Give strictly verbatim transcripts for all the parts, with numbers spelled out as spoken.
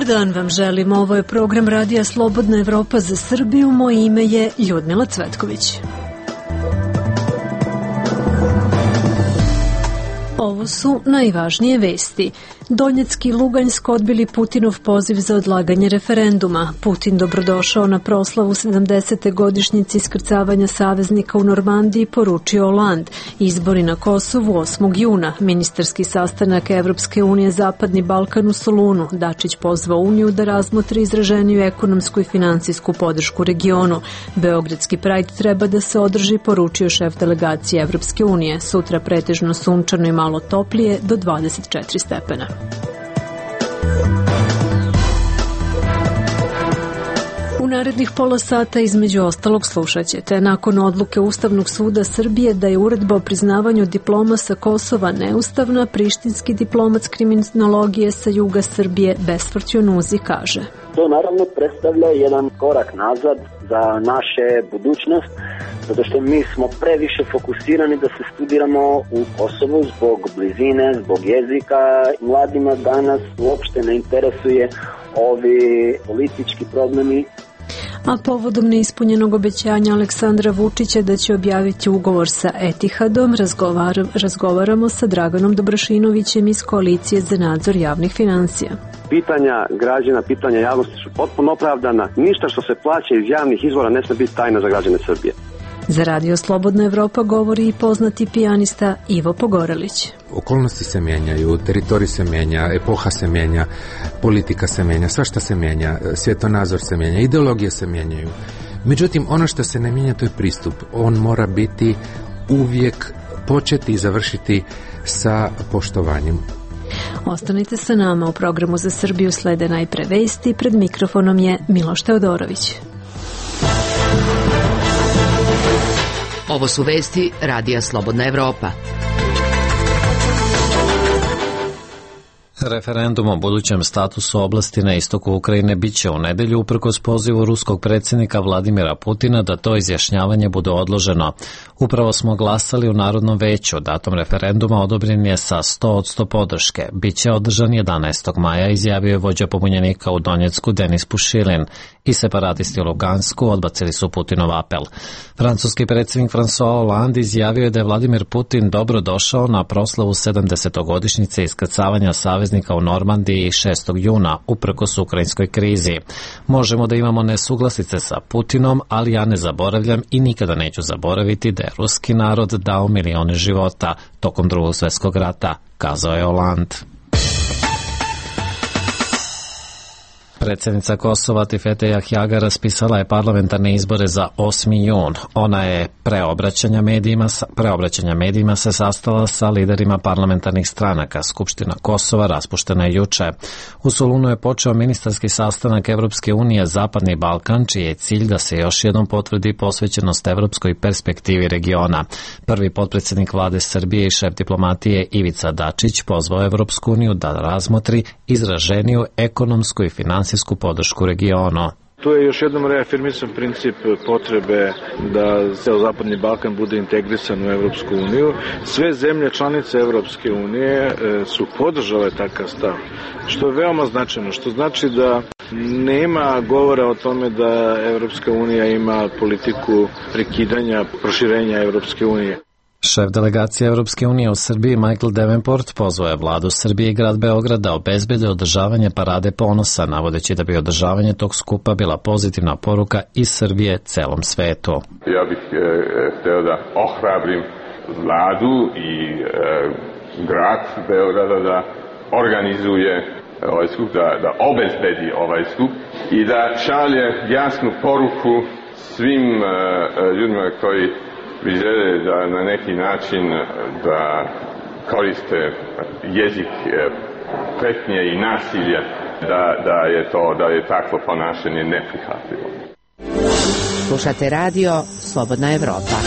Dobar dan vam želim, ovo je program Radija Slobodna Evropa za Srbiju, moje ime je Ljudmila Cvetković. Ovo su najvažnije vesti. Donjecki i Luganjsk odbili Putinov poziv za odlaganje referenduma. Putin dobrodošao na proslavu sedamdesete godišnjice iskrcavanja saveznika u Normandiji, poručio Hollande. Izbori na Kosovu osmog juna. Ministarski sastanak Evropske unije Zapadni Balkan u Solunu. Dačić pozvao Uniju da razmotri izraženiju ekonomsku i finansijsku podršku regionu. Beogradski Pride treba da se održi, poručio šef delegacije Evropske unije. Sutra pretežno sunčano i malo toplije do dvadeset četiri stepena. U narednih pola sata između ostalog slušat ćete. Nakon odluke Ustavnog suda Srbije da je uredba o priznavanju diploma sa Kosova neustavna, prištinski diplomac kriminologije sa juga Srbije Besfrćo Nuzi kaže: To naravno predstavlja jedan korak nazad za naše budućnost, zato što mi smo previše fokusirani da se studiramo u Kosovu zbog blizine, zbog jezika. Mladima danas uopšte ne interesuje ovi politički problemi. A povodom neispunjenog obećanja Aleksandra Vučića da će objaviti ugovor sa Etihadom, razgovar, razgovaramo sa Draganom Dobrašinovićem iz Koalicije za nadzor javnih finansija. Pitanja građana, pitanja javnosti su potpuno opravdana. Ništa što se plaća iz javnih izvora ne sme biti tajna za građane Srbije. Za Radio Slobodna Evropa govori i poznati pijanista Ivo Pogorelić. Okolnosti se mijenjaju, teritorij se mijenja, epoha se mijenja, politika se mijenja, svašta se mijenja, svjetonazor se mijenja, ideologije se mijenjaju. Međutim, ono što se ne mijenja, to je pristup. On mora biti uvijek početi i završiti sa poštovanjem. Ostanite sa nama, u programu za Srbiju slede najpre vesti, pred mikrofonom je Miloš Teodorović. Ovo su vesti Radija Slobodna Evropa. Referendum o budućem statusu oblasti na istoku Ukrajine biće u nedelju uprkos pozivu ruskog predsjednika Vladimira Putina da to izjašnjavanje bude odloženo. Upravo smo glasali u Narodnom veću, datum referenduma odobren je sa sto posto podrške. Biće održan jedanaestog maja, izjavio je vođa pobunjenika u Donjecku Denis Pušilin, i separatisti u Lugansku odbacili su Putinov apel. Francuski predsjednik François Hollande izjavio je da je Vladimir Putin dobro došao na proslavu sedamdesetogodišnjice iskrcavanja saveznika u Normandiji šestog juna, uprkos ukrajinskoj krizi. Možemo da imamo nesuglasice sa Putinom, ali ja ne zaboravljam i nikada neću zaboraviti da je ruski narod dao milione života tokom Drugog svjetskog rata, kazao je Hollande. Predsjednica Kosova Tifete Jahjaga raspisala je parlamentarne izbore za osmi jun. Ona je preobraćanja medijima, preobraćanja medijima se sastala sa liderima parlamentarnih stranaka. Skupština Kosova raspuštena je juče. U Solunu je počeo ministarski sastanak Evropske unije Zapadni Balkan, čiji je cilj da se još jednom potvrdi posvećenost evropskoj perspektivi regiona. Prvi potpredsjednik vlade Srbije i šef diplomatije Ivica Dačić pozvao Evropsku uniju da razmotri izraženiju ekonomsku i finansijsku podršku regionu. To je još jednom reafirmisan princip potrebe da ceo Zapadni Balkan bude integrisan u Evropsku uniju. Sve zemlje članice Evropske unije su podržale takav stav, što je veoma značajno, što znači da nema govora o tome da Evropska unija ima politiku prekidanja, proširenja Evropske unije. Šef delegacije Evropske unije u Srbiji Michael Davenport pozvao je vladu Srbije i grad Beograd da obezbede održavanje parade ponosa, navodeći da bi održavanje tog skupa bila pozitivna poruka iz Srbije celom svetu. Ja bih e, hteo da ohrabrim vladu i e, grad Beograda da organizuje ovaj skup, da, da obezbedi ovaj skup i da šalje jasnu poruku svim e, ljudima koji bi žele da na neki način da koriste jezik pretnje i nasilja, da, da je to, da je takvo ponašanje neprihvatljivo. Slušate radio Slobodna Evropa.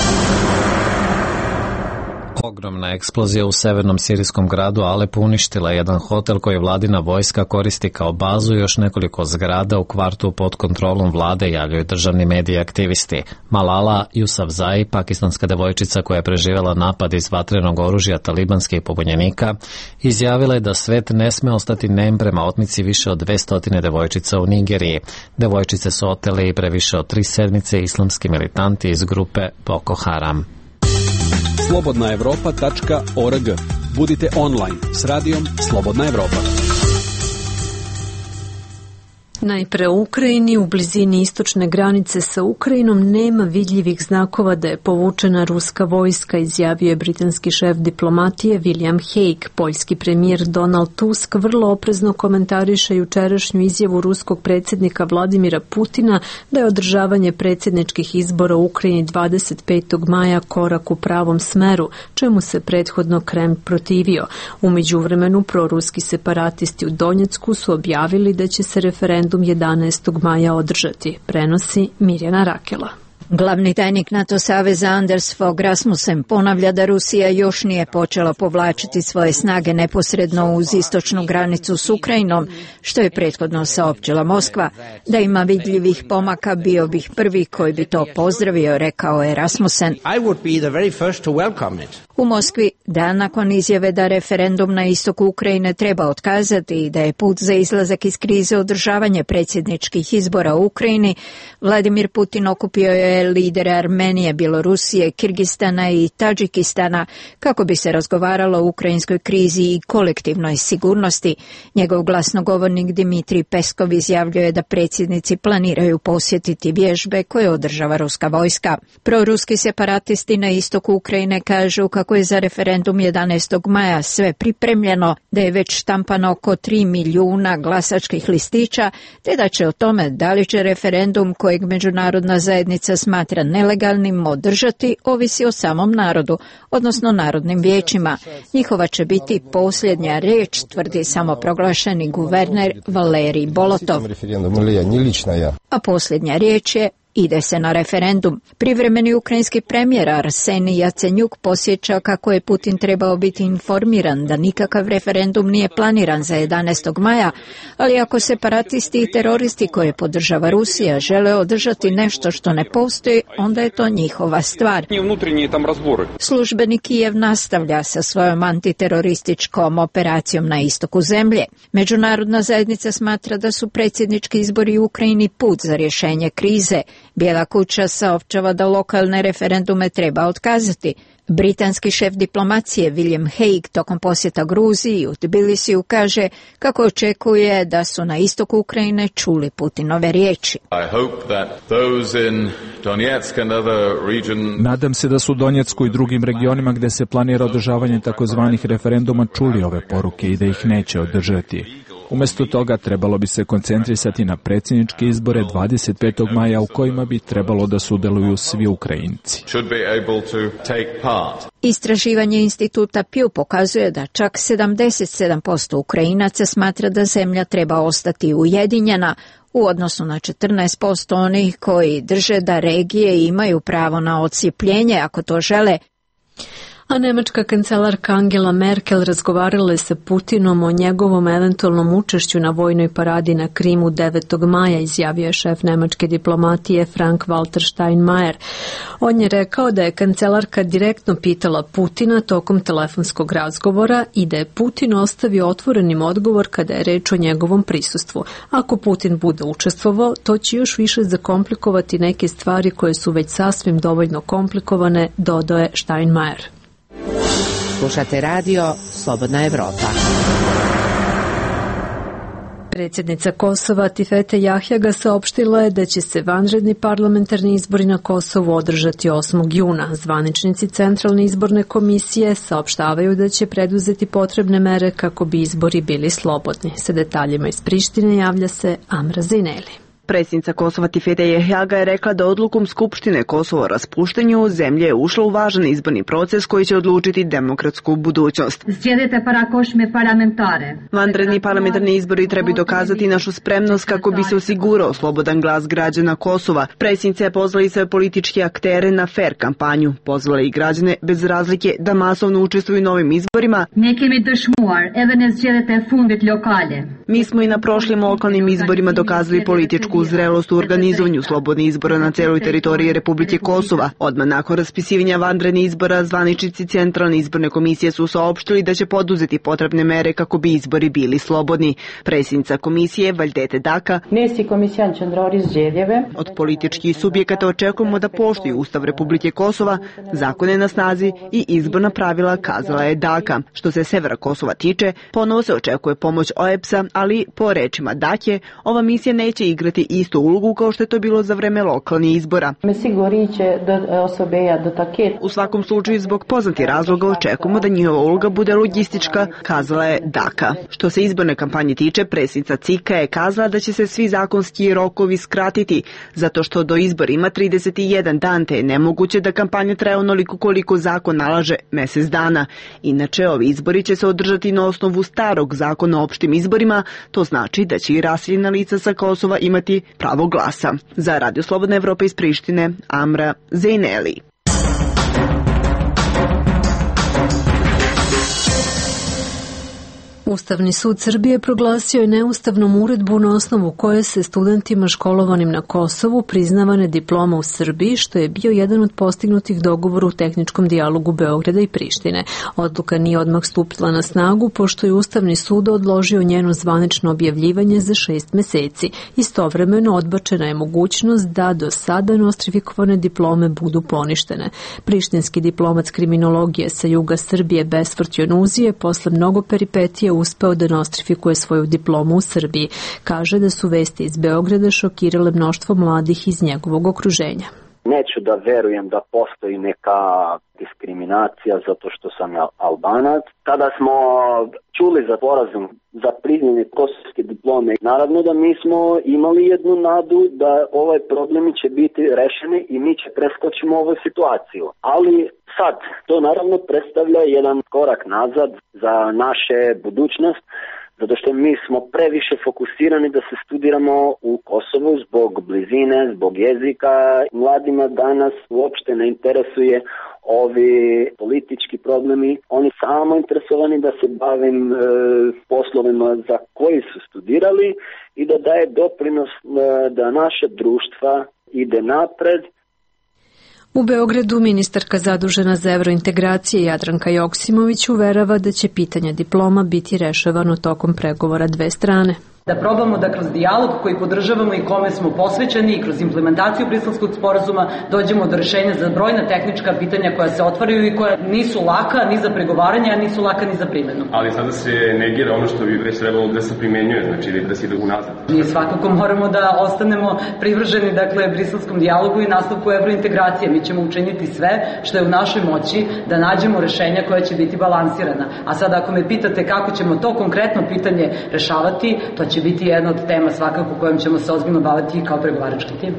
Ogromna eksplozija u severnom sirijskom gradu Alepu uništila jedan hotel koji vladina vojska koristi kao bazu i još nekoliko zgrada u kvartu pod kontrolom vlade, javljaju državni mediji aktivisti. Malala Yousafzai, pakistanska devojčica koja je preživjela napad iz vatrenog oružja talibanskih pobunjenika, izjavila je da svet ne sme ostati nem prema otmici više od dvesta devojčica u Nigeriji. Devojčice su oteli pre više od tri sedmice islamski militanti iz grupe Boko Haram. slobodna evropa tačka org. Budite online s radijom Slobodna Evropa. Najpre u Ukrajini, u blizini istočne granice sa Ukrajinom, nema vidljivih znakova da je povučena ruska vojska, izjavio je britanski šef diplomatije William Hague. Poljski premijer Donald Tusk vrlo oprezno komentariše jučerašnju izjavu ruskog predsjednika Vladimira Putina da je održavanje predsjedničkih izbora u Ukrajini dvadeset petog maja korak u pravom smeru, čemu se prethodno Kreml protivio. U međuvremenu proruski separatisti u Donjecku su objavili da će se referendum jedanaestog maja održati, prenosi Mirjana Rakela. Glavni tajnik NATO saveza Anders Fogh Rasmussen ponavlja da Rusija još nije počela povlačiti svoje snage neposredno uz istočnu granicu s Ukrajinom, što je prethodno saopćila Moskva. Da ima vidljivih pomaka, bio bih prvi koji bi to pozdravio, rekao je Rasmussen. U Moskvi, dan nakon izjave da referendum na istoku Ukrajine treba otkazati i da je put za izlazak iz krize održavanje predsjedničkih izbora u Ukrajini, Vladimir Putin okupio je lidere Armenije, Bjelorusije, Kirgistana i Tadžikistana kako bi se razgovaralo o ukrajinskoj krizi i kolektivnoj sigurnosti. Njegov glasnogovornik Dmitrij Peskov izjavljuje da predsjednici planiraju posjetiti vježbe koje održava ruska vojska. Proruski separatisti na istoku Ukrajine kažu kako je za referendum jedanaestog maja sve pripremljeno, da je već štampano oko tri milijuna glasačkih listića, te da će o tome da li će referendum kojeg međunarodna zajednica smatra nelegalnim održati ovisi o samom narodu, odnosno narodnim vijećima. Njihova će biti posljednja riječ, tvrdi samoproglašeni guverner Valerij Bolotov. A posljednja riječ je: ide se na referendum. Privremeni ukrajinski premijer Arsenij Jacenjuk posjeća kako je Putin trebao biti informiran da nikakav referendum nije planiran za jedanaestog maja, ali ako separatisti i teroristi koje podržava Rusija žele održati nešto što ne postoji, onda je to njihova stvar. Službeni Kijev nastavlja sa svojom antiterorističkom operacijom na istoku zemlje. Međunarodna zajednica smatra da su predsjednički izbori u Ukrajini put za rješenje krize. Bijela kuća saopćava da lokalne referendume treba otkazati. Britanski šef diplomacije William Hague tokom posjeta Gruziji u Tbilisiju kaže kako očekuje da su na istoku Ukrajine čuli Putinove riječi. Nadam se da su u Donjecku i drugim regionima gdje se planira održavanje takozvanih referenduma čuli ove poruke i da ih neće održati. Umjesto toga trebalo bi se koncentrisati na predsjedničke izbore dvadeset petog maja u kojima bi trebalo da sudjeluju svi Ukrajinci. Istraživanje instituta Pew pokazuje da čak sedamdeset sedam posto Ukrajinaca smatra da zemlja treba ostati ujedinjena, u odnosu na četrnaest posto onih koji drže da regije imaju pravo na odcijepljenje ako to žele. A nemačka kancelarka Angela Merkel razgovarala je sa Putinom o njegovom eventualnom učešću na vojnoj paradi na Krimu devetog maja, izjavio je šef nemačke diplomatije Frank-Walter Steinmeier. On je rekao da je kancelarka direktno pitala Putina tokom telefonskog razgovora i da je Putin ostavio otvorenim odgovor kada je reč o njegovom prisustvu. Ako Putin bude učestvovao, to će još više zakomplikovati neke stvari koje su već sasvim dovoljno komplikovane, dodao je Steinmeier. Slušate radio Slobodna Evropa. Predsjednica Kosova Tifete Jahjaga saopštila je da će se vanredni parlamentarni izbori na Kosovu održati osmog juna. Zvaničnici Centralne izborne komisije saopštavaju da će preduzeti potrebne mere kako bi izbori bili slobodni. Sa detaljima iz Prištine javlja se Amra Zineli. Predsjednica Kosova Tifete Jehjaga je rekla da odlukom Skupštine Kosovo o raspuštenju zemlje je ušla u važan izborni proces koji će odlučiti demokratsku budućnost. Vanredni parlamentarni izbori trebaju dokazati našu spremnost kako bi se osigurao slobodan glas građana Kosova. Predsjednica je pozvala i sve političke aktere na fair kampanju. Pozvala i građane bez razlike da masovno učestvuju u novim izborima. Mi smo i na prošlim lokalnim izborima dokazali političku zrelost u organizovanju slobodnih izbora na celoj teritoriji Republike Kosova. Odmah nakon raspisivanja vanrednih izbora, zvaničnici Centralne izborne komisije su saopštili da će poduzeti potrebne mere kako bi izbori bili slobodni. Predsjednica komisije Valdete Daka: od političkih subjekata očekujemo da poštuju Ustav Republike Kosova, zakone na snazi i izborna pravila, kazala je Daka. Što se severa Kosova tiče, ponovo se očekuje pomoć O E B S-a, ali po rečima Dake, ova misija neće igrati istu ulogu kao što je to bilo za vreme lokalnih izbora. U svakom slučaju, zbog poznatih razloga očekujemo da njihova uloga bude logistička, kazala je Daka. Što se izborne kampanje tiče, predsjednica Cika je kazala da će se svi zakonski rokovi skratiti, zato što do izbora ima trideset jedan dan, te je nemoguće da kampanja traje onoliko koliko zakon nalaže, mesec dana. Inače, ovi izbori će se održati na osnovu starog zakona o opštim izborima, to znači da će i raseljena lica sa Kosova imati pravo glasa. Za Radio Slobodna Evropa iz Prištine, Amra Zejneli. Ustavni sud Srbije proglasio je neustavnom uredbu na osnovu koje se studentima školovanim na Kosovu priznavane diploma u Srbiji, što je bio jedan od postignutih dogovora u tehničkom dijalogu Beograda i Prištine. Odluka nije odmah stupila na snagu, pošto je Ustavni sud odložio njeno zvanično objavljivanje za šest meseci. Istovremeno odbačena je mogućnost da do sada nostrifikovane diplome budu poništene. Prištinski diplomac kriminologije sa juga Srbije Besfort Jonuzi je posle mnogo peripetija uspeo da nostrifikuje svoju diplomu u Srbiji. Kaže da su vesti iz Beograda šokirale mnoštvo mladih iz njegovog okruženja. Neću da verujem da postoji neka diskriminacija zato što sam Albanac. Kada smo čuli za sporazum za priznanje kosovske diplome, naravno da mi smo imali jednu nadu da ovaj problemi će biti rešeni i mi će preskočimo ovu situaciju. Ali sad, to naravno predstavlja jedan korak nazad za naše budućnost, zato što mi smo previše fokusirani da se studiramo u Kosovu zbog blizine, zbog jezika. Mladima danas uopšte ne interesuje ovi politički problemi. Oni samo interesovani da se bavim e, poslovima za koji su studirali i da daje doprinos e, da naše društva ide napred. U Beogradu ministarka zadužena za evrointegracije Jadranka Joksimović uverava da će pitanje diploma biti rešavano tokom pregovora dve strane. Da probamo da kroz dijalog koji podržavamo i kome smo posvećeni i kroz implementaciju Briselskog sporazuma dođemo do rešenja za brojna tehnička pitanja koja se otvaraju i koja nisu laka ni za pregovaranje, a nisu laka ni za primjenu. Ali sada se negira ono što bi već trebalo da se primenjuje, znači da se ide unazad. Mi svakako moramo da ostanemo privrženi, dakle, Briselskom dijalogu i nastavku evrointegracije. Mi ćemo učiniti sve što je u našoj moći da nađemo rešenja koja će biti balansirana. A sada ako me pitate kako ćemo to konkretno pitanje rešavati, to će biti jedna od tema svakako kojom ćemo se ozbiljno baviti kao pregovarački tim.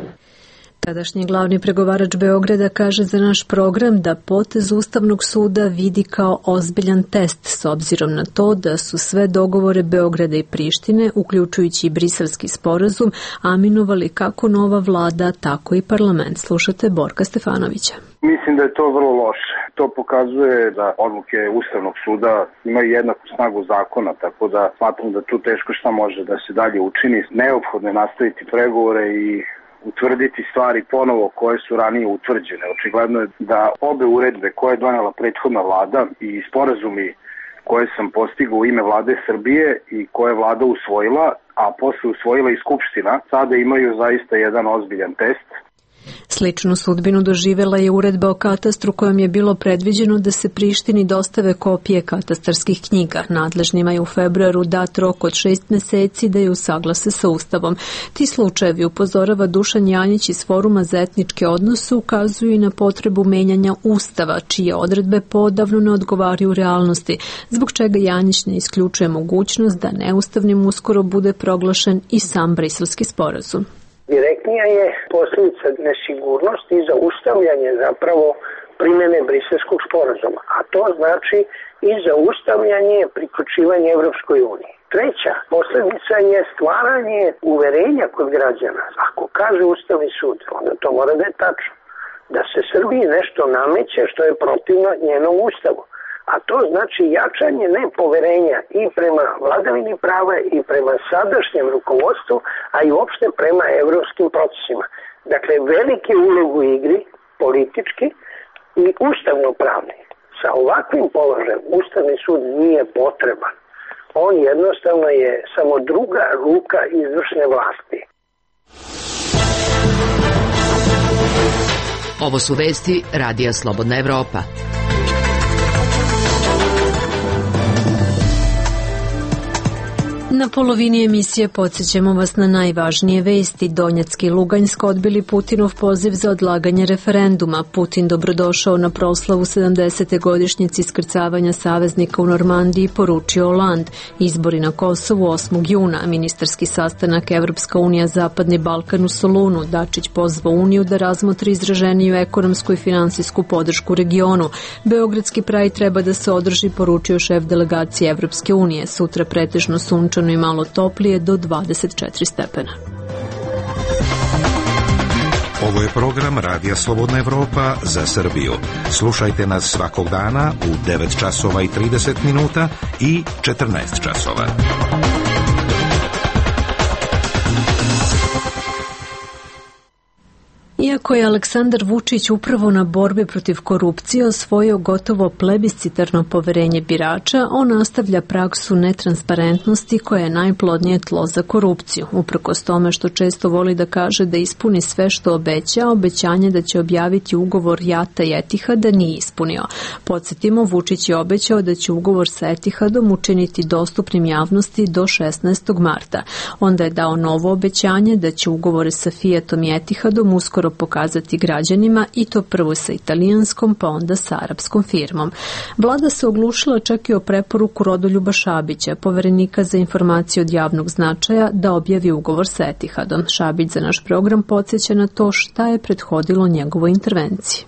Tadašnji glavni pregovarač Beograda kaže za naš program da potez Ustavnog suda vidi kao ozbiljan test s obzirom na to da su sve dogovore Beograda i Prištine, uključujući i Briselski sporazum, aminovali kako nova vlada, tako i parlament. Slušate Borka Stefanovića. Mislim da je to vrlo loše. To pokazuje da odluke Ustavnog suda imaju jednaku snagu zakona, tako da smatram da tu teško šta može da se dalje učini. Neophodno je nastaviti pregovore i utvrditi stvari ponovo koje su ranije utvrđene. Očigledno je da obe uredbe koje je donela prethodna vlada i sporazumi koje sam postigao u ime vlade Srbije i koje je vlada usvojila, a posle usvojila i Skupština, sada imaju zaista jedan ozbiljan test. Sličnu sudbinu doživela je uredba o katastru kojom je bilo predviđeno da se Prištini dostave kopije katastarskih knjiga. Nadležnima je u februaru dat rok od šest meseci da je usaglase sa Ustavom. Ti slučajevi, upozorava Dušan Janjić iz Foruma za etničke odnose, ukazuju i na potrebu menjanja Ustava, čije odredbe podavno ne odgovaraju realnosti, zbog čega Janjić ne isključuje mogućnost da neustavnim uskoro bude proglašen i sam Briselski sporazum. Direktnija je posljedica nesigurnosti i zaustavljanje zapravo primjene Briselskog sporazuma, a to znači i zaustavljanje priključivanja Evropskoj uniji. Treća posljedica je stvaranje uverenja kod građana. Ako kaže Ustavni sud, onda to mora da je tačno, da se Srbiji nešto nameće što je protivno njenom ustavu. A to znači jačanje nepoverenja i prema vladavini prava i prema sadašnjem rukovodstvu, a i uopšte prema evropskim procesima. Dakle, velike ulogu u igri, politički i ustavno-pravni. Sa ovakvim položajem Ustavni sud nije potreban. On jednostavno je samo druga ruka izvršne vlasti. Ovo su vesti Radija Slobodna Evropa. Na polovini emisije podsjećamo vas na najvažnije vesti. Donjecki i Luganjsko odbili Putinov poziv za odlaganje referenduma. Putin dobrodošao na proslavu sedamdesete godišnjice iskrcavanja saveznika u Normandiji i poručio Holand. Izbori na Kosovu osmog juna. Ministarski sastanak Evropska unija Zapadni Balkan u Solunu. Dačić pozvao Uniju da razmotri izraženiju ekonomsku i finansijsku podršku regionu. Beogradski praj treba da se održi, poručio šef delegacije Evropske unije. Sutra pretežno sunčano i malo toplije do dvadeset četiri stepena. Ovo je program Radija Slobodna Evropa za Srbiju. Slušajte nas svakog dana u devet časova i trideset minuta i četrnaest časova. Iako je Aleksandar Vučić upravo na borbi protiv korupcije osvojio gotovo plebiscitarno poverenje birača, on nastavlja praksu netransparentnosti koja je najplodnije tlo za korupciju. Uprkos tome što često voli da kaže da ispuni sve što obeća, obećanje da će objaviti ugovor Jata i Etihada nije ispunio. Podsjetimo, Vučić je obećao da će ugovor sa Etihadom učiniti dostupnim javnosti do šesnaestog marta. Onda je dao novo obećanje da će ugovore sa Fiatom i Etihadom uskoro pokazati građanima, i to prvo sa italijanskom pa onda sa arapskom firmom. Vlada se oglušila čak i o preporuku Rodoljuba Šabića, poverenika za informacije od javnog značaja, da objavi ugovor sa Etihadom. Šabić za naš program podsjeća na to šta je prethodilo njegovoj intervenciji.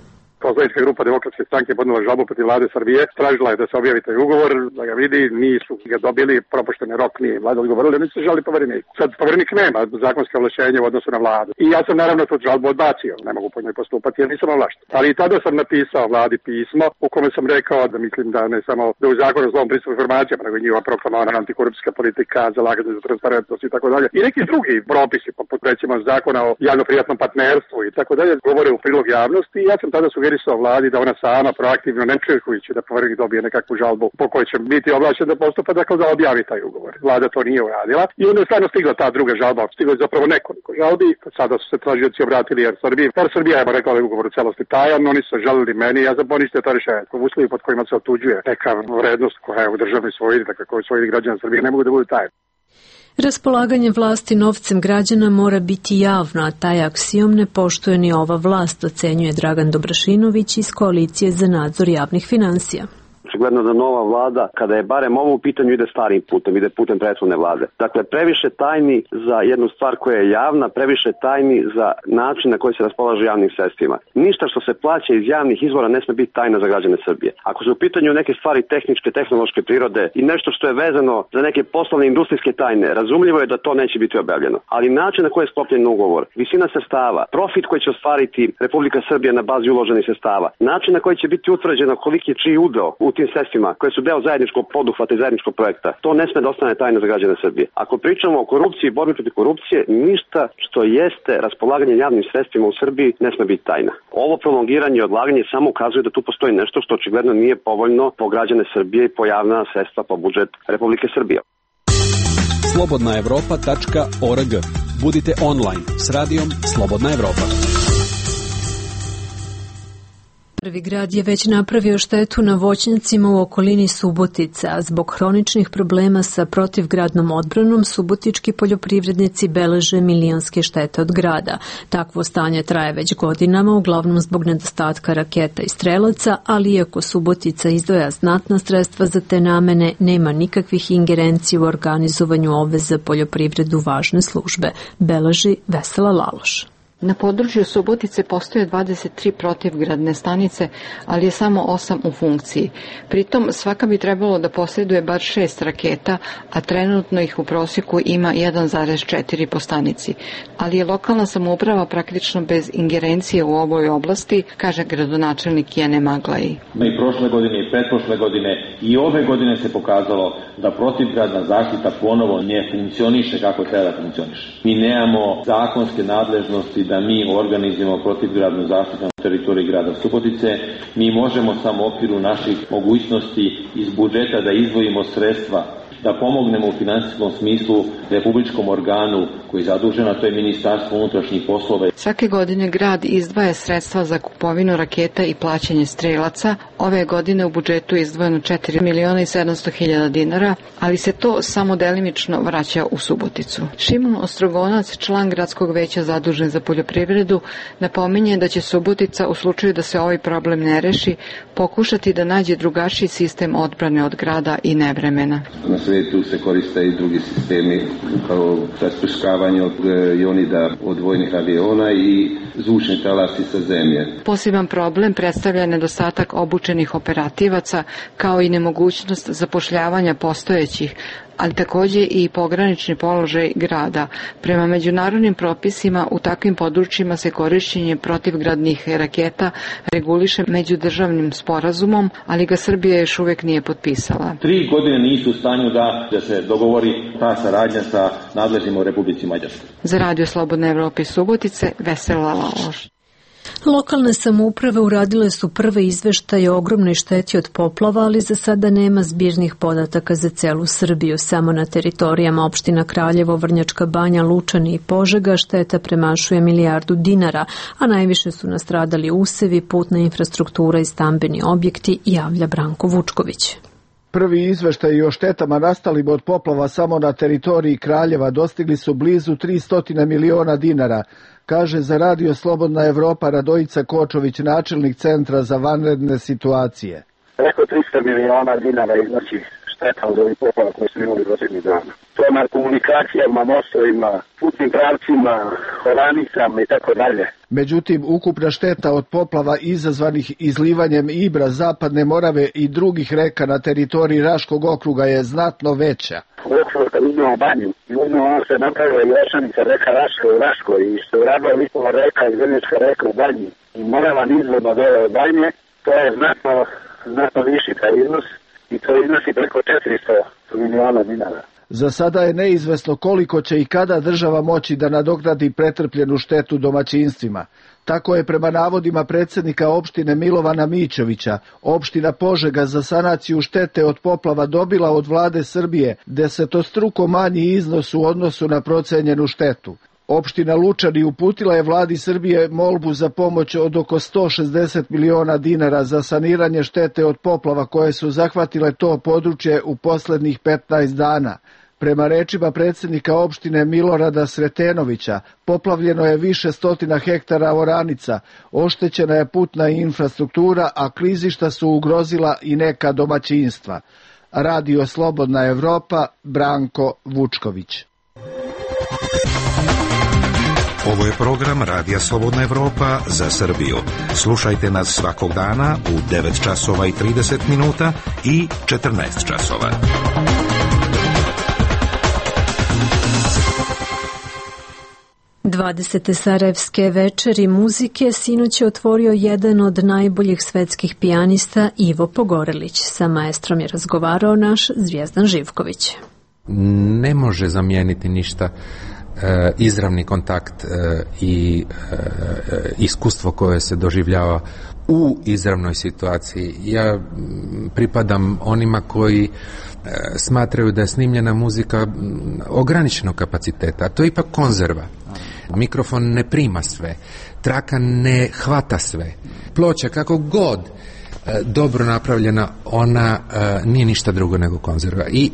Poslanička grupa Demokratske stranke podnela žalbu protiv vlade Srbije, tražila je da se objavi taj ugovor, da ga vidi, nisu ga dobili, propušteni rok nije vlada odgovorila, oni su žalili povereniku. Sad poverenik nema zakonske ovlašćenje u odnosu na vladu. I ja sam naravno tu žalbu odbacio, ne mogu po njoj postupati jer nisam ovlašten. Ali i tada sam napisao vladi pismo u kome sam rekao da mislim da ne samo da u zakonu o zlom pristupu informacijama, nego i njihova proklamovana antikorupcijska politika, zalaganje za transparentnost i tako dalje. I neki drugi propisi, poput recimo zakona o javno-privatnom partnerstvu i tako dalje, govore u prilog javnosti. I ja sam tada sugerisao vladi da ona sama proaktivno, ne čekujući da poverenik dobije nekakvu žalbu po kojoj će biti ovlašćen da postupa, dakle da objavi taj ugovor. Vlada to nije uradila i onda je stvarno stigla ta druga žalba, stigla je zapravo nekoliko žalbi, sada su se tražioci obratili Air Srbiji. Air Srbija je rekla da je ugovor u celosti tajan, oni su žalili meni, ja sam poništio to rješenje. U uslovi pod kojima se otuđuje neka vrednost koja je u državnoj svojini, dakle koju svojini građana Srbije, ne mogu da budu tajne. Raspolaganje vlasti novcem građana mora biti javno, a taj aksiom ne poštuje ni ova vlast, ocenjuje Dragan Dobrašinović iz Koalicije za nadzor javnih finansija. Očigledno da nova vlada, kada je barem ovo u pitanju, ide starim putem, ide putem prethodne vlade. Dakle, previše tajni za jednu stvar koja je javna, previše tajni za način na koji se raspolaže javnim sredstvima. Ništa što se plaća iz javnih izvora ne sme biti tajna za građane Srbije. Ako su u pitanju neke stvari tehničke, tehnološke prirode i nešto što je vezano za neke poslovne industrijske tajne, razumljivo je da to neće biti objavljeno. Ali način na koji je sklopljen ugovor, visina sredstava, profit koji će ostvariti Republika Srbija na bazi uloženih sredstava, način na koji će biti utvrđeno koliki je čiji udeo u tim sredstvima koje su deo zajedničkog poduhvata i zajedničkog projekta, to ne sme da ostane tajna za građane Srbije. Ako pričamo o korupciji i borbi protiv korupcije, ništa što jeste raspolaganje javnim sredstvima u Srbiji ne sme biti tajna. Ovo prolongiranje i odlaganje samo ukazuje da tu postoji nešto što očigledno nije povoljno po građane Srbije i po javna sredstva, po budžet Republike Srbije. slobodna evropa tačka org. Budite online s radijom Slobodna Evropa. Prvi grad je već napravio štetu na voćnjacima u okolini Subotica, a zbog hroničnih problema sa protivgradnom odbranom subotički poljoprivrednici beleže milionske štete od grada. Takvo stanje traje već godinama, uglavnom zbog nedostatka raketa i strelaca, ali iako Subotica izdvaja znatna sredstva za te namene, nema nikakvih ingerencija u organizovanju ove za poljoprivredu važne službe, beleži Vesela Laloš. Na području Subotice postoje dvadeset tri protivgradne stanice, ali je samo osam u funkciji. Pritom svaka bi trebalo da posjeduje bar šest raketa, a trenutno ih u prosjeku ima jedan zarez četiri po stanici. Ali je lokalna samouprava praktično bez ingerencije u ovoj oblasti, kaže gradonačelnik Jene Maglaji. I prošle godine i pretprošle godine i ove godine se pokazalo da protivgradna zaštita ponovo ne funkcioniše kako treba da funkcioniše. Mi nemamo zakonske nadležnosti da mi organizujemo protivgradnu zaštitu na teritoriji grada Subotice. Mi možemo samo u okviru naših mogućnosti iz budžeta da izdvojimo sredstva, da pomognemo u finansijskom smislu republičkom organu koji je zadužen, a to je Ministarstvo unutrašnjih poslova. Svake godine grad izdvaja sredstva za kupovinu raketa i plaćanje strelaca. Ove godine u budžetu je izdvojeno četiri miliona i sedamsto hiljada dinara, ali se to samo delimično vraća u Suboticu. Šimon Ostrogonac, član gradskog veća zadužen za poljoprivredu, napominje da će Subotica u slučaju da se ovaj problem ne reši pokušati da nađe drugačiji sistem odbrane od grada i nevremena. Na svetu se koriste i drugi sistemi kao rasprskavanje od ionida od vojnih aviona i zvučni talasi sa zemlje. Poseban problem predstavlja nedostatak obučenih operativaca kao i nemogućnost zapošljavanja postojećih, ali takođe i pogranični položaj grada. Prema međunarodnim propisima u takvim područjima se korišćenje protivgradnih raketa reguliše međudržavnim sporazumom, ali ga Srbija još uvek nije potpisala. Tri godine nisu u stanju da, da se dogovori ta saradnja sa nadležnim u Republici Mađarskoj. Za Radio Slobodne Evrope iz Subotice, Vesela Laloš. Lokalne samouprave uradile su prve izveštaje o ogromnoj šteti od poplava, ali za sada nema zbirnih podataka za celu Srbiju. Samo na teritorijama opština Kraljevo, Vrnjačka Banja, Lučani i Požega šteta premašuje milijardu dinara, a najviše su nastradali usevi, putna infrastruktura i stambeni objekti, javlja Branko Vučković. Prvi izveštaji o štetama nastalim od poplava samo na teritoriji Kraljeva dostigli su blizu tristo miliona dinara, kaže za Radio Slobodna Evropa Radojica Kočović, načelnik Centra za vanredne situacije. Preko tristo miliona dinara iznosi šteta od ovih poplava koje smo imali prošlih dana. To je na komunikacijama, mostovima, putnim pravcima, oranicama i tako dalje. Međutim, ukupna šteta od poplava izazvanih izlivanjem Ibra, Zapadne Morave i drugih reka na teritoriji Raškog okruga je znatno veća. U okviru kad uzmemo Banju, i uzmemo ono što je napravila i Lešanica, reka Raška u Raškoj, i što je uradila Lipova reka i Vrnjačka reka u Banji, i Morava nizvodno dole od Banje, to je znatno, znatno viši taj iznos, i to iznosi preko četiristo miliona dinara. Za sada je neizvesno koliko će i kada država moći da nadoknadi pretrpljenu štetu domaćinstvima. Tako je prema navodima predsjednika opštine Milovana Mićovića, opština Požega za sanaciju štete od poplava dobila od vlade Srbije desetostruko manji iznos u odnosu na procenjenu štetu. Opština Lučani uputila je vladi Srbije molbu za pomoć od oko sto šezdeset miliona dinara za saniranje štete od poplava koje su zahvatile to područje u poslednjih petnaest dana. Prema rečima predsjednika opštine Milorada Sretenovića, poplavljeno je više stotina hektara oranica, oštećena je putna infrastruktura, a klizišta su ugrozila i neka domaćinstva. Radio Slobodna Evropa, Branko Vučković. Ovo je program Radija Slobodna Evropa za Srbiju. Slušajte nas svakog dana u devet časova i trideset minuta i četrnaest časova. dvadesete Sarajevske večeri muzike sinoć je otvorio jedan od najboljih svetskih pijanista Ivo Pogorelić. Sa maestrom je razgovarao naš Zvijezdan Živković. Ne može zamijeniti ništa e, izravni kontakt e, i e, iskustvo koje se doživljava u izravnoj situaciji. Ja pripadam onima koji smatraju da je snimljena muzika ograničenog kapaciteta, a to je ipak konzerva. Mikrofon ne prima sve, traka ne hvata sve. Ploča kako god dobro napravljena, ona nije ništa drugo nego konzerva. I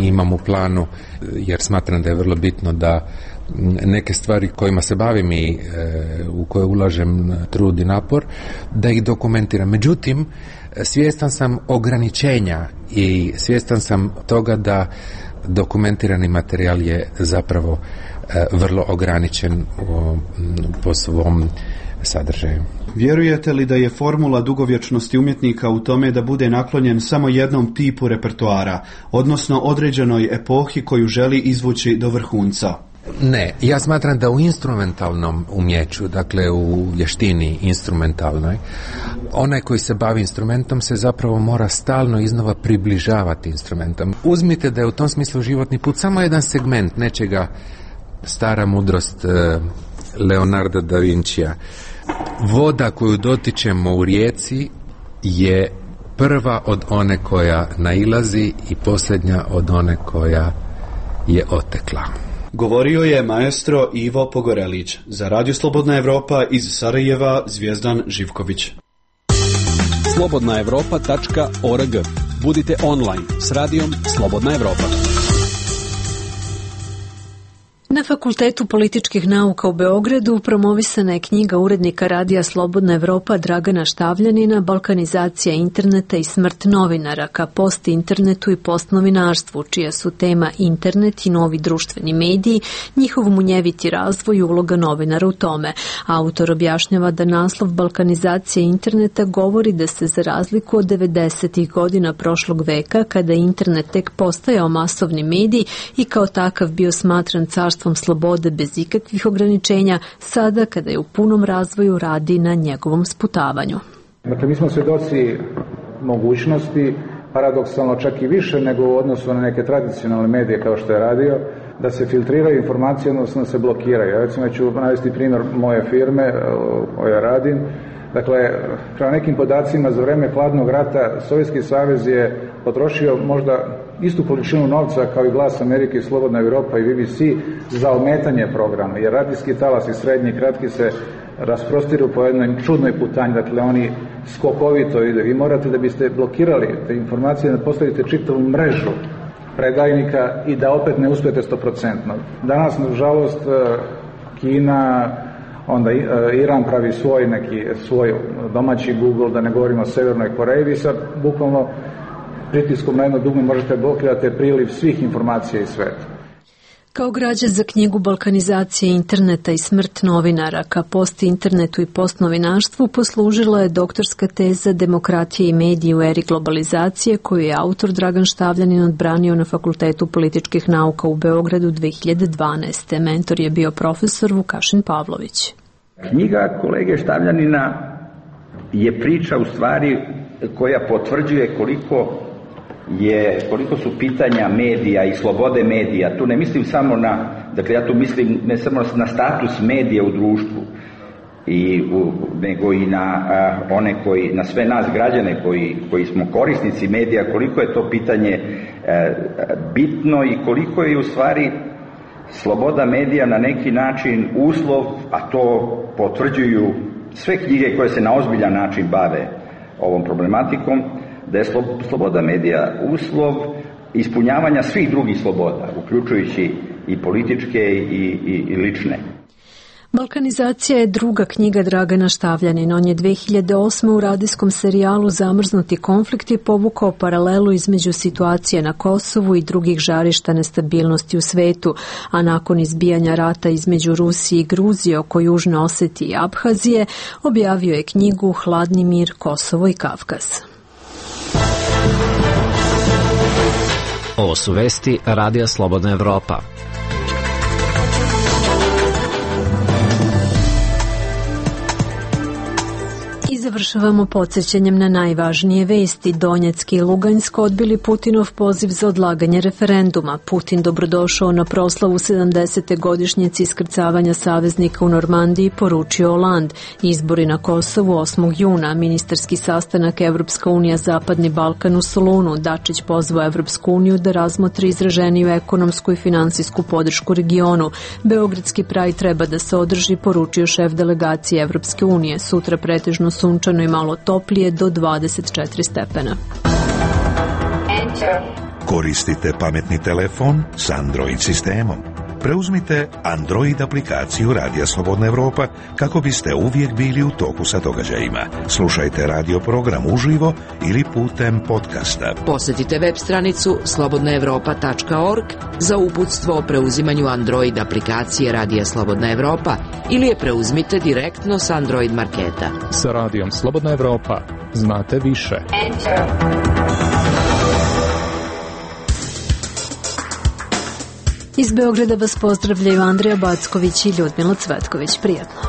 imam u planu, jer smatram da je vrlo bitno da neke stvari kojima se bavim i u koje ulažem trud i napor, da ih dokumentiram. Međutim, svjestan sam ograničenja i svjestan sam toga da dokumentirani materijal je zapravo vrlo ograničen po svom sadržaju. Vjerujete li da je formula dugovječnosti umjetnika u tome da bude naklonjen samo jednom tipu repertoara, odnosno određenoj epohi koju želi izvući do vrhunca? Ne, ja smatram da u instrumentalnom umjeću, dakle u vještini instrumentalnoj, onaj koji se bavi instrumentom se zapravo mora stalno iznova približavati instrumentom. Uzmite da je u tom smislu životni put samo jedan segment nečega, stara mudrost Leonarda da Vincija. Voda koju dotičemo u rijeci je prva od one koja nailazi i posljednja od one koja je otekla. Govorio je maestro Ivo Pogorelić. Za Radio Slobodna Evropa iz Sarajeva Zvijezdan Živković. slobodna evropa tačka org. Budite online s radijom Slobodna Evropa. Na Fakultetu političkih nauka u Beogradu promovisana je knjiga urednika radija Slobodna Evropa Dragana Štavljanina Balkanizacija interneta i smrt novinara ka post internetu i postnovinarstvu, čija su tema internet i novi društveni mediji, njihov munjeviti razvoj i uloga novinara u tome. Autor objašnjava da naslov Balkanizacija interneta govori da se za razliku od devedesetih godina prošlog veka, kada je internet tek postajao masovni medij i kao takav bio smatran carstvom slobode bez ikakvih ograničenja, sada kada je u punom razvoju radi na njegovom sputavanju. Dakle, mi smo svjedoci mogućnosti, paradoksalno čak i više nego u odnosu na neke tradicionalne medije kao što je radio, da se filtriraju informacije, odnosno da se blokiraju. Ja recimo ću navesti primjer moje firme, o ja radim. Dakle, prema nekim podacima za vreme hladnog rata Sovjetski savez je potrošio možda istu količinu novca kao i Glas Amerike i Slobodna Evropa i B B C za ometanje programa, jer radijski talasi srednji i kratki se rasprostiru po jednoj čudnoj putanji, dakle oni skokovito ide. Vi morate da biste blokirali te informacije da postavite čitavu mrežu predajnika i da opet ne uspijete stoprocentno. Danas, nažalost, Kina, onda Iran pravi svoj neki svoj domaći Google, da ne govorimo o Severnoj Koreji, vi sad bukvalno pritiskom na jedno dugme možete blokirati priliv svih informacija iz sveta. Kao građa za knjigu Balkanizacije interneta i smrt novinara ka post internetu i postnovinarstvu poslužila je doktorska teza Demokratije i mediji u eri globalizacije, koju je autor Dragan Štavljanin odbranio na Fakultetu političkih nauka u Beogradu dve hiljade dvanaeste. Mentor je bio profesor Vukašin Pavlović. Knjiga kolege Štavljanina je priča u stvari koja potvrđuje koliko je, koliko su pitanja medija i slobode medija. Tu ne mislim samo na, dakle ja tu mislim ne samo na status medija u društvu, i, u, nego i na a, one koji, na sve nas građane koji, koji smo korisnici medija, koliko je to pitanje a, bitno i koliko je u stvari sloboda medija na neki način uslov, a to potvrđuju sve knjige koje se na ozbiljan način bave ovom problematikom, da je sloboda medija uslov ispunjavanja svih drugih sloboda, uključujući i političke i, i, i lične. Balkanizacija je druga knjiga Dragana Štavljanina. On je dve hiljade osme. u radijskom serijalu Zamrznuti konflikti povukao paralelu između situacije na Kosovu i drugih žarišta nestabilnosti u svetu, a nakon izbijanja rata između Rusije i Gruzije oko Južne Osetije i Abhazije objavio je knjigu Hladni mir, Kosovo i Kavkaz. Ovo su vesti Radija Slobodna Evropa. završavamo podsjećanjem na najvažnije vesti. Donjeck i Lugansk odbili Putinov poziv za odlaganje referenduma. Putin dobrodošao na proslavu sedamdesete godišnjice iskrcavanja saveznika u Normandiji, poručio Hollande. Izbori na Kosovu osmog juna, ministarski sastanak Evropska unija Zapadni Balkan u Solunu. Dačić pozvao Evropsku uniju da razmotri izraženiju ekonomsku i finansijsku podršku regionu. Beogradski praj treba da se održi, poručio šef delegacije Evropske unije. Sutra pretežno sunčano i malo toplije do dvadeset četiri stepena. Koristite pametni telefon s Android sistemom. Preuzmite Android aplikaciju Radija Slobodna Evropa kako biste uvijek bili u toku sa događajima. Slušajte radio program uživo ili putem podcasta. Posjetite web stranicu slobodna evropa tačka org za uputstvo o preuzimanju Android aplikacije Radija Slobodna Evropa ili je preuzmite direktno s Android marketa. Sa Radijom Slobodna Evropa znate više. Iz Beograda vas pozdravljaju Andrija Backović i Ljudmila Cvetković. Prijatno.